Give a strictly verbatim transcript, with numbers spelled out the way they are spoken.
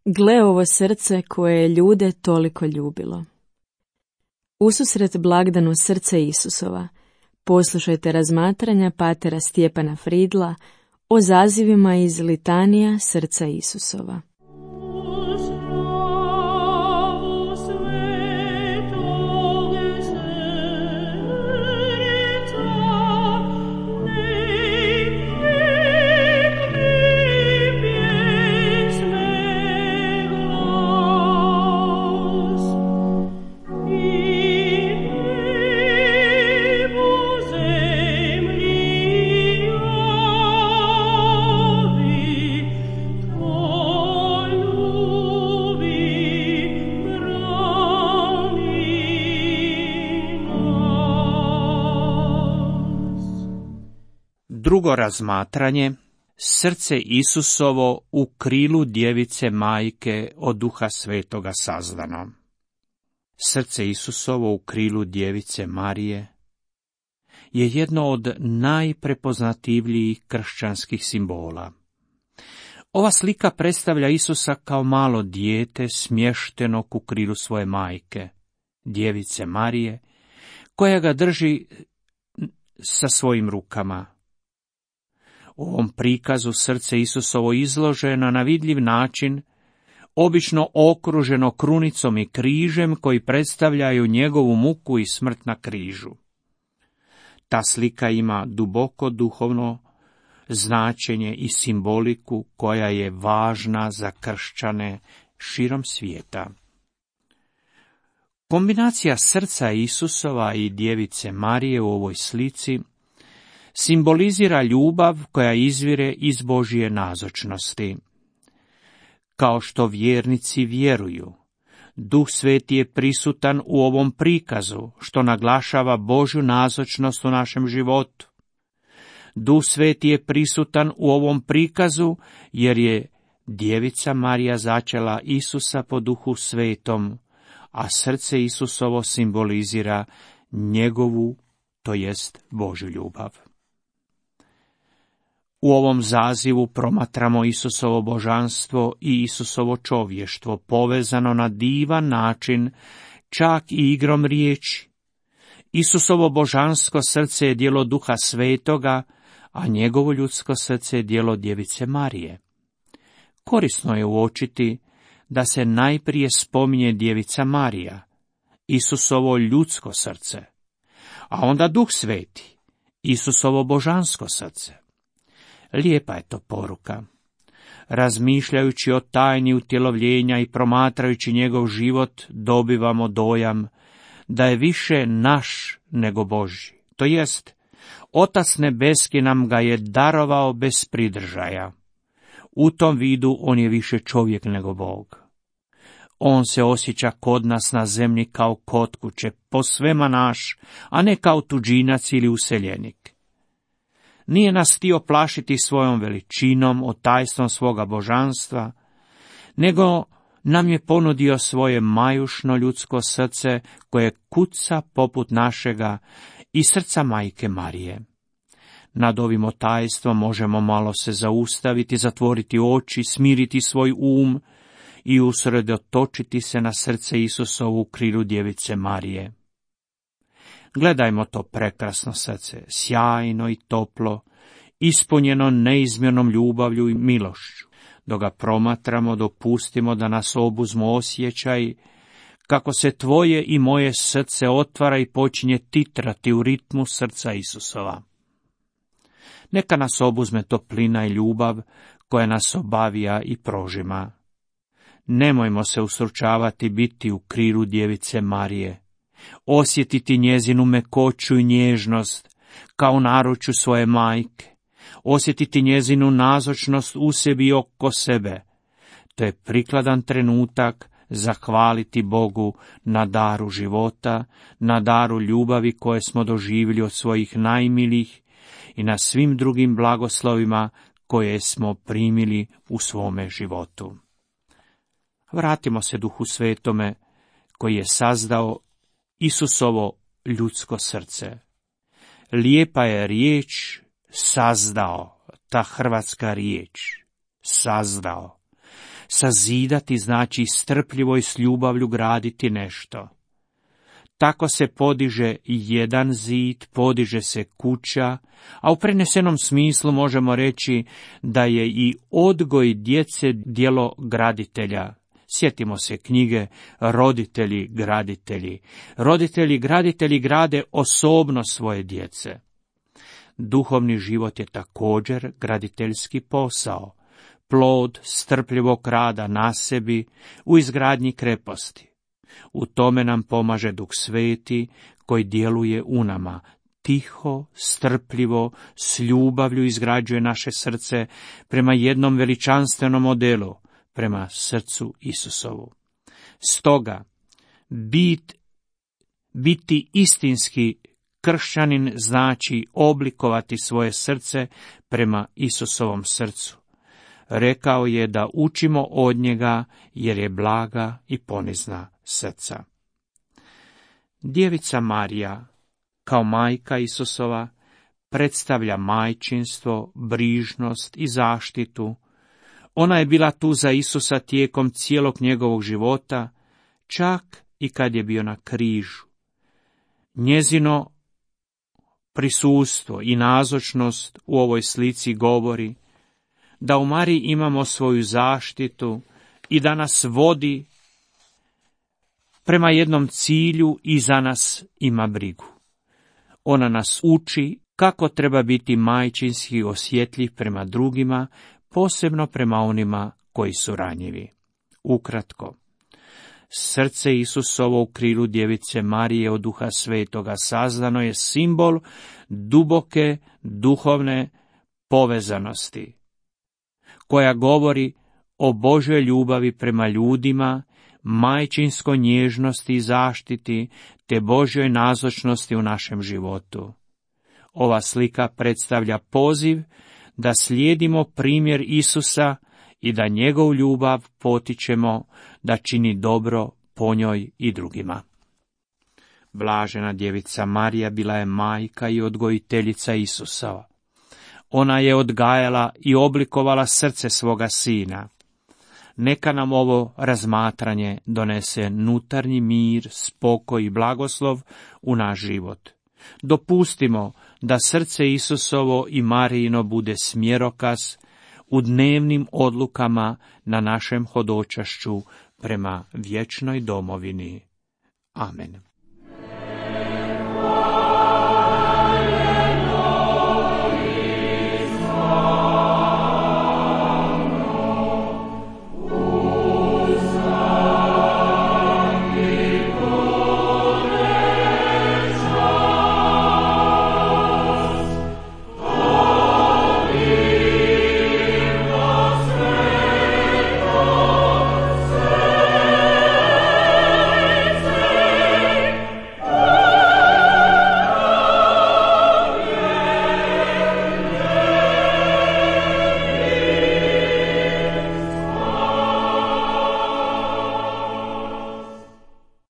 Gle ovo srce koje je ljude toliko ljubilo. Ususret blagdanu srce Isusova, poslušajte razmatranja patera Stjepana Fridla o zazivima iz litanija srca Isusova. Drugo razmatranje, srce Isusovo u krilu djevice majke od Duha Svetoga sazdano. Srce Isusovo u krilu djevice Marije je jedno od najprepoznatljivijih kršćanskih simbola. Ova slika predstavlja Isusa kao malo dijete smještenog u krilu svoje majke, djevice Marije, koja ga drži sa svojim rukama. U ovom prikazu srce Isusovo izloženo na vidljiv način, obično okruženo krunicom i križem koji predstavljaju njegovu muku i smrt na križu. Ta slika ima duboko duhovno značenje i simboliku koja je važna za kršćane širom svijeta. Kombinacija srca Isusova i djevice Marije u ovoj slici simbolizira ljubav koja izvire iz Božje nazočnosti. Kao što vjernici vjeruju, Duh Sveti je prisutan u ovom prikazu, što naglašava Božju nazočnost u našem životu. Duh Sveti je prisutan u ovom prikazu, jer je djevica Marija začela Isusa po Duhu Svetom, a srce Isusovo simbolizira njegovu, to jest Božju ljubav. U ovom zazivu promatramo Isusovo božanstvo i Isusovo čovještvo povezano na divan način, čak i igrom riječi. Isusovo božansko srce je djelo Duha Svetoga, a njegovo ljudsko srce je djelo djevice Marije. Korisno je uočiti da se najprije spominje djevica Marija, Isusovo ljudsko srce, a onda Duh Sveti, Isusovo božansko srce. Lijepa je to poruka. Razmišljajući o tajni utjelovljenja i promatrajući njegov život, dobivamo dojam da je više naš nego Božji. To jest, Otac nebeski nam ga je darovao bez pridržaja. U tom vidu on je više čovjek nego Bog. On se osjeća kod nas na zemlji kao kod kuće, posvema naš, a ne kao tuđinac ili useljenik. Nije nas htio plašiti svojom veličinom, otajstvom svoga božanstva, nego nam je ponudio svoje majušno ljudsko srce koje kuca poput našega i srca majke Marije. Nad ovim otajstvom možemo malo se zaustaviti, zatvoriti oči, smiriti svoj um i usredotočiti se na srce Isusovu u krilu djevice Marije. Gledajmo to prekrasno srce, sjajno i toplo, ispunjeno neizmjernom ljubavlju i milošću. Dok ga promatramo, dopustimo da nas obuzmu osjećaj kako se tvoje i moje srce otvara i počinje titrati u ritmu srca Isusova. Neka nas obuzme toplina i ljubav koja nas obavija i prožima. Nemojmo se usručavati biti u krilu djevice Marije, osjetiti njezinu mekoću i nježnost kao naručju svoje majke, osjetiti njezinu nazočnost u sebi i oko sebe. To je prikladan trenutak zahvaliti Bogu na daru života, na daru ljubavi koje smo doživjeli od svojih najmilijih i na svim drugim blagoslovima koje smo primili u svome životu. Vratimo se Duhu Svetome koji je sazdao Isusovo ljudsko srce. Lijepa je riječ sazdao, ta hrvatska riječ, sazdao. Sazidati znači strpljivo i s ljubavlju graditi nešto. Tako se podiže jedan zid, podiže se kuća, a u prenesenom smislu možemo reći da je i odgoj djece djelo graditelja. Sjetimo se knjige Roditelji graditelji. Roditelji graditelji grade osobno svoje djece. Duhovni život je također graditeljski posao, plod strpljivog rada na sebi u izgradnji kreposti. U tome nam pomaže Duh Sveti koji djeluje u nama, tiho, strpljivo, s ljubavlju izgrađuje naše srce prema jednom veličanstvenom modelu, prema srcu Isusovu. Stoga, bit, biti istinski kršćanin znači oblikovati svoje srce prema Isusovom srcu. Rekao je da učimo od njega jer je blaga i ponizna srca. Djevica Marija, kao majka Isusova, predstavlja majčinstvo, brižnost i zaštitu. Ona je bila tu za Isusa tijekom cijelog njegovog života, čak i kad je bio na križu. Njezino prisustvo i nazočnost u ovoj slici govori da u Mariji imamo svoju zaštitu i da nas vodi prema jednom cilju i za nas ima brigu. Ona nas uči kako treba biti majčinski osjetljiv prema drugima, posebno prema onima koji su ranjivi. Ukratko, srce Isusovo u krilu djevice Marije od Duha Svetoga sazdano je simbol duboke duhovne povezanosti, koja govori o Božjoj ljubavi prema ljudima, majčinskoj nježnosti i zaštiti, te Božjoj nazočnosti u našem životu. Ova slika predstavlja poziv da slijedimo primjer Isusa i da njegovu ljubav potičemo da čini dobro po njoj i drugima. Blažena djevica Marija bila je majka i odgojiteljica Isusova. Ona je odgajala i oblikovala srce svoga sina. Neka nam ovo razmatranje donese nutarnji mir, spokoj i blagoslov u naš život. Dopustimo da srce Isusovo i Marijino bude smjerokaz u dnevnim odlukama na našem hodočašću prema vječnoj domovini. Amen.